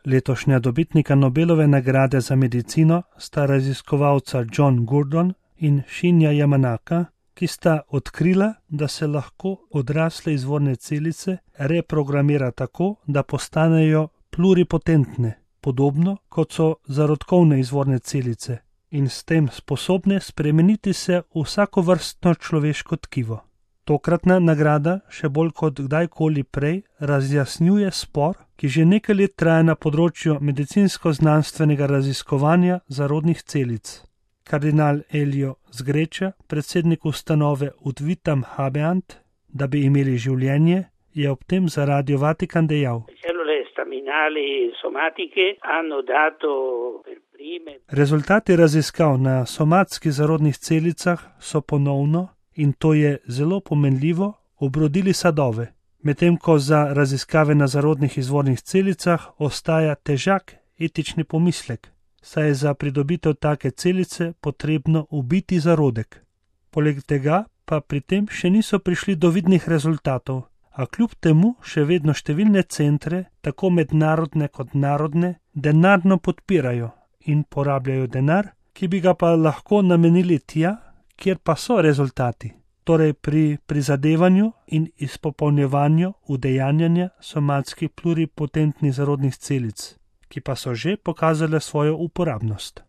Letošnja dobitnika Nobelove nagrade za medicino sta raziskovalca John Gurdon in Shinya Yamanaka, ki sta odkrila, da se lahko odrasle izvorne celice reprogramira tako, da postanejo pluripotentne, podobno kot so zarodkovne izvorne celice, in s tem sposobne spremeniti se v vsakovrstno človeško tkivo. Tokratna nagrada še bolj kot kdajkoli prej razjasnjuje spor, ki že nekaj let traja na področju medicinsko-znanstvenega raziskovanja zarodnih celic. Kardinal Elio Zgreča, predsednik ustanove Udvitam Habeant, da bi imeli življenje, je ob tem za Radio Vatikan dejal: Rezultati raziskav na somatskih zarodnih celicah so ponovno, in to je zelo pomenljivo, obrodili sadove, medtem ko za raziskave na zarodnih izvornih celicah ostaja težak etični pomislek, saj je za pridobitev take celice potrebno ubiti zarodek. Poleg tega pa pri tem še niso prišli do vidnih rezultatov, a kljub temu še vedno številne centre, tako mednarodne kot narodne, denarno podpirajo in porabljajo denar, ki bi ga pa lahko namenili tja, kjer pa so rezultati, torej pri prizadevanju in izpopolnjevanju udejanjanja somatskih pluripotentnih zarodnih celic, ki pa so že pokazale svojo uporabnost.